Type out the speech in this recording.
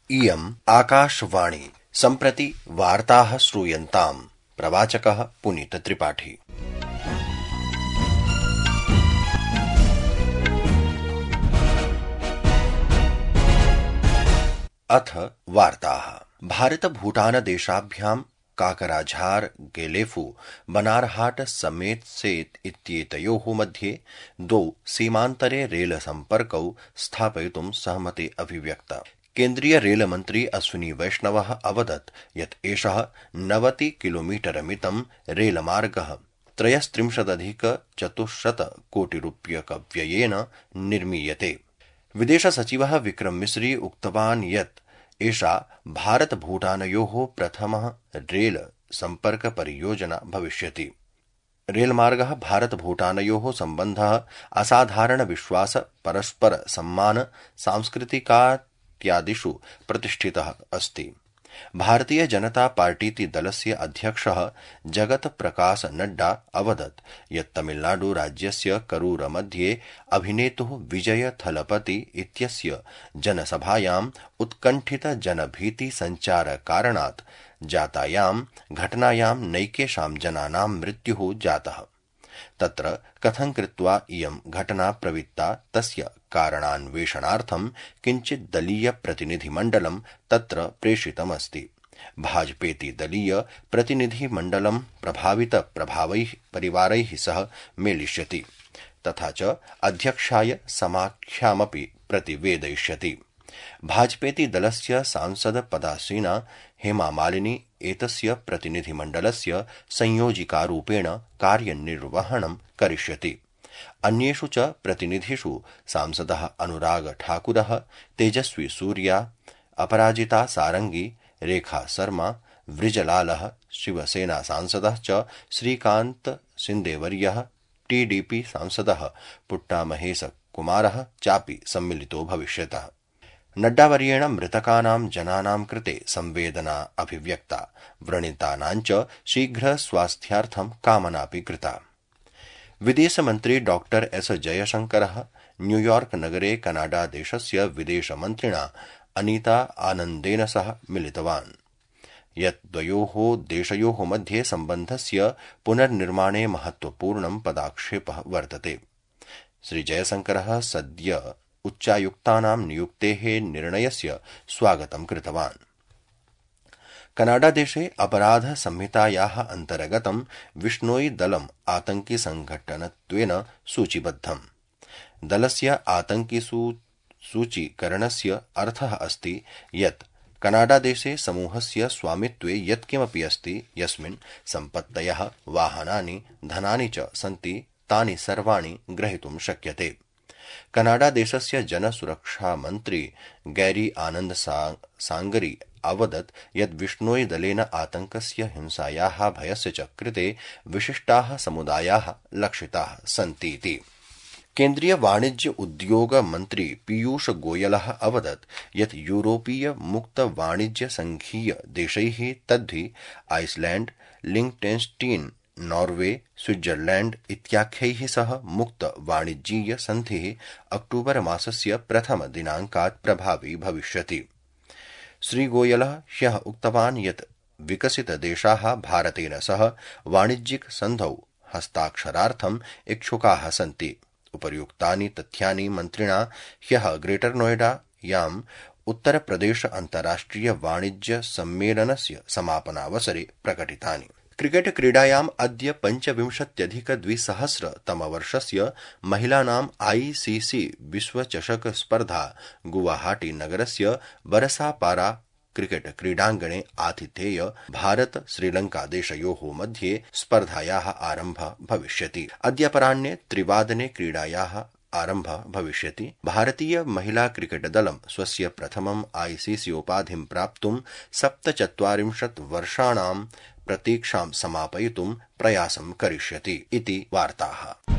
इयम् आकाशवाणी। सम्प्रति वार्ताः श्रूयन्ताम्। प्रवाचकः पुनीत त्रिपाठी। अथ वार्ताः। भारत भूटान देशाभ्यां काकराझार गेलेफु बनारहाट समेत सेत इत्येतयोः मध्ये द्वौ सीमान्तरे रेल सम्पर्कौ स्थापयितुं सहमति अभिव्यक्ता। केन्द्रीय रेलमन्त्री अश्विनी वैष्णवः अवदत् यत् एषः 90 किलोमीटरमितं रेलमार्गः 33,400 कोटिरूप्यकव्ययेन निर्मीयते। विदेशसचिवः विक्रम मिस्री उक्तवान् यत् एषा भारत भूटानयोः प्रथमः रेल सम्पर्क परियोजना भविष्यति। रेलमार्गः भारत भूटानयोः सम्बन्धः असाधारण विश्वास परस्पर सम्मान सांस्कृतिकात्यादिषु प्रतिष्ठितः अस्ति। भारतीय जनता पार्टीति दलस्य अध्यक्षः जगत प्रकाश नड्डा अवदत् यत् तमिलनाडु राज्यस्य करूर मध्ये अभिनेतुः विजय थलपति इत्यस्य जनसभायाम् उत्कण्ठित जनभीति संचार कारणात् जातायां घटनायां नैकेषां जनानां मृत्युः जातः। तत्र कथं कृत्वा इयं घटना प्रवृत्ता तस्य कारणान्वेषणार्थं किञ्चित् दलीय प्रतिनिधिमण्डलं तत्र प्रेषितमस्ति। भाजपेति दलीय प्रतिनिधिमण्डलं प्रभावित प्रभावैः परिवारैः सह मेलिष्यति तथा च अध्यक्षाय समाख्यामपि प्रतिवेदयिष्यति। भाजपेति दलस्य सांसद पदासीना हेमा मालिनी एतस्य प्रतिनिधिमण्डलस्य संयोजिकारूपेण कार्यनिर्वहणं करिष्यति। अन्येषु च प्रतिनिधिषु सांसदः अनुराग ठाकुरः, तेजस्वी सूर्या, अपराजिता सारंगी, रेखा शर्मा, वृजलालः, शिवसेना सांसदः च श्रीकान्त सिन्देवर्यः, टीडीपी सांसदः पुट्टा महेश कुमारः चापि सम्मिलितो भविष्यतः। नड्डावर्येण मृतकानां जनानां कृते संवेदना अभिव्यक्ता, व्रणितानां च शीघ्र स्वास्थ्यार्थं कामनापि कृता। विदेशमन्त्री डॉक्टर एस जयशंकरः न्यूयॉर्क नगरे कनाडा देशस्य विदेशमन्त्रिणा अनीता आनन्देन सह मिलितवान्, यत् द्वयोः देशयोः मध्ये सम्बन्धस्य पुनर्निर्माणे महत्वपूर्णं पदाक्षेपः वर्तते। श्री जयशंकरः सद्य उच्चायुक्तानां नियुक्तेः निर्णयस्य स्वागतं कृतवान्। कनाडादेशे अपराध संहितायाः अन्तर्गतं विश्नोई दलम् आतंकि संघटनत्वेन सूचीबद्धम्। दलस्य आतंकि सूचीकरणस्य अर्थः अस्ति यत् कनाडादेशे समूहस्य स्वामित्वे यत्किमपि अस्ति यस्मिन् सम्पत्तयः, वाहनानि, धनानि च सन्ति तानि सर्वाणि ग्रहीतुं शक्यते। कनाडा देशस्य जनसुरक्षा मन्त्री गैरी आनन्द सांगरी अवदत् यत् विश्नोई दलेन आतंकस्य, हिंसायाः, भयस्य च कृते विशिष्टाः समुदायाः लक्षिताः सन्तीति। केन्द्रीय वाणिज्य उद्योग मन्त्री पीयूष गोयलः अवदत् यत् यूरोपीय मुक्त वाणिज्य संघीय देशैः तद्धि आइसलैंड, लिंक्टेन्स्टीन, नॉर्वे, स्विट्जरलैंड इत्याख्यैः सह मुक्त वाणिज्यीय सन्धिः अक्टूबर मासस्य प्रथम दिनाङ्कात् प्रभावी भविष्यति। श्री गोयलः ह्यः उक्तवान् यत् विकसित देशाः भारतेन सह वाणिज्यिक सन्धौ हस्ताक्षरार्थम् इच्छुकाः सन्ति। उपर्युक्तानि तथ्यानि मन्त्रिणा ह्यः ग्रेटर नोएडायाम् उत्तर प्रदेश अन्ताराष्ट्रिय वाणिज्य सम्मेलनस्य समापनावसरे प्रकटितानि। क्रिकेट क्रीडायाम् अद्य 25,200 महिलानाम् आईसीसी विश्वचषक स्पर्धा गुवाहाटी नगरस्य बरसापारा क्रिकेट क्रीडाङ्गणे आतिथेय भारत श्रीलंका देशयोः मध्ये स्पर्धायाः आरम्भः भविष्यति। अद्य अपराह्ने 3 क्रीडायाः आरम्भः भविष्यति। भारतीय महिला क्रिकेट दलं स्वस्य प्रथमम् आईसीसी उपाधिं प्राप्तुं 47 वर्षाणां प्रतीक्षां समापयितुं प्रयासं करिष्यति इति वार्ताः।